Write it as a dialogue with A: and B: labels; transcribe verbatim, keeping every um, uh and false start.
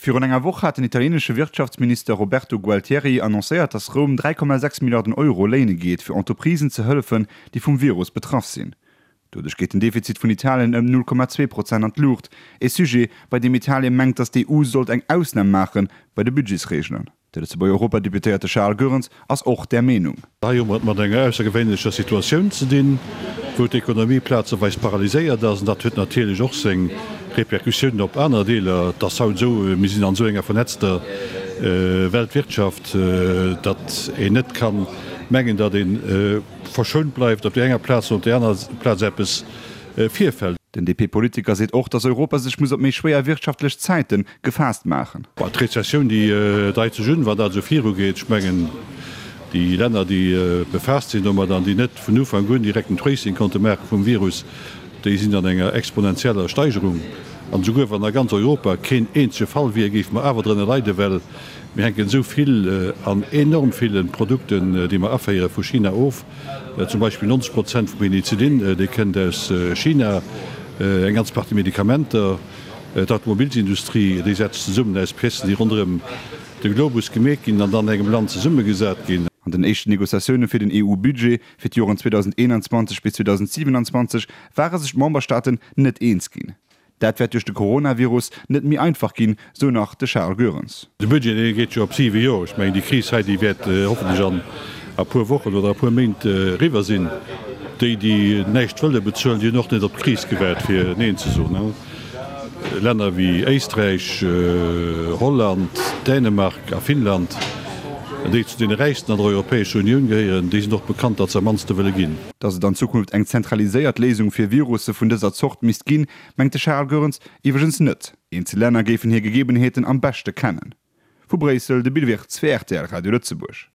A: Virun enger Woch hat den italieenesche Wirtschaftsminister Roberto Gualtieri annoncéiert, datt Roum dräi Komma sechs Milliarden Euro léine geet, fir Entreprisen ze hëllefen, déi vum Virus betraff sinn. Doduerch geet den Defizit vun Italien ëm null Komma zwee Prozent an d'Luucht. E Sujet, bei deem Italien mengt, datt d'EU sollt eng Ausnam maache bei de Budgetsreegelen. De Lëtzebuerger Europadeputéierte Charles Goerens ass och där Meenung.
B: Hei hu mer et mat enger aussergewéinlecher Situatioun ze dinn, wou d'Ekonomie plazeweis paralyséiert ass. An dat huet natierlech och seng Repercussiounen op aner Deeler. Et ass haut esou, mir sinn an esou enger vernetzter Weltwirtschaft, datt een net ka mengen, datt ee verschount bleift op där enger Plaz, wann op där aner Plaz eppes virfält.
A: Den D P-Politiker seet och, datt Europa sech muss op méi schwéier wirtschaftlech Zäite gefaasst maachen.
B: D'Rezessioun, déi deit sech un, wann dat esou virugeet. Ech mengen, déi Länner, déi befaasst sinn domat an déi net vun Ufank un direkt en Tracing konnte maache vum Virus, déi sinn an enger exponentieller Steigerung. An esouguer wann a ganz Europa keen eenzege Fall wier, géife mer awer drënner leiden, well mir hänken esou vill an enorm ville Produkten, déi mer aféiere vu China of. Zum Beispill neunzeg Prozent vum Penicillin, dee kënnt aus China, eng ganz Partie Medikamenter. D'Automobilsindustrie, déi setzt sech zesummen aus Piècen, déi ronderëm de Globus gemeet ginn an dann an engem Land zesummegesat ginn.
A: An den éischten Negociatioune fir den E U-Budget fir d'Joren zweedausendeenanzwanzeg bis zweedausendsiewenanzwanzeg ware sech d'Memberstaaten net eens ginn. Dat wäert duerch de Coronavirus net méi einfach ginn, sou nach de Charles Goerens.
B: De Budget, dee geet jo op siwe Joer. Ech mengen, déi Kris hei, déi wäert hoffentlech an e puer Wochen oder e puer Méint eriwwer sinn. Déi, déi näischt wëlle bezuelen, déi hunn och net op d'Kris gewaart, fir Neen ze soen. Länner wéi Éisträich, Holland, Dänemark a Finnland, déi zu deene räichsten an der Europäescher Unioun gehéieren, déi sinn och bekannt, datt se am mannste wëlle ginn.
A: Datt et an Zukunft eng zentraliséiert Léisung fir Virusse vun dëser Zort misst ginn, mengt de Charles Goerens iwwregens net. Eenzel Länner géifen hir Gegebenheeten am beschte kennen. Vu Bréissel de Bill Wirtz fir R T L Radio Lëtzebuerg.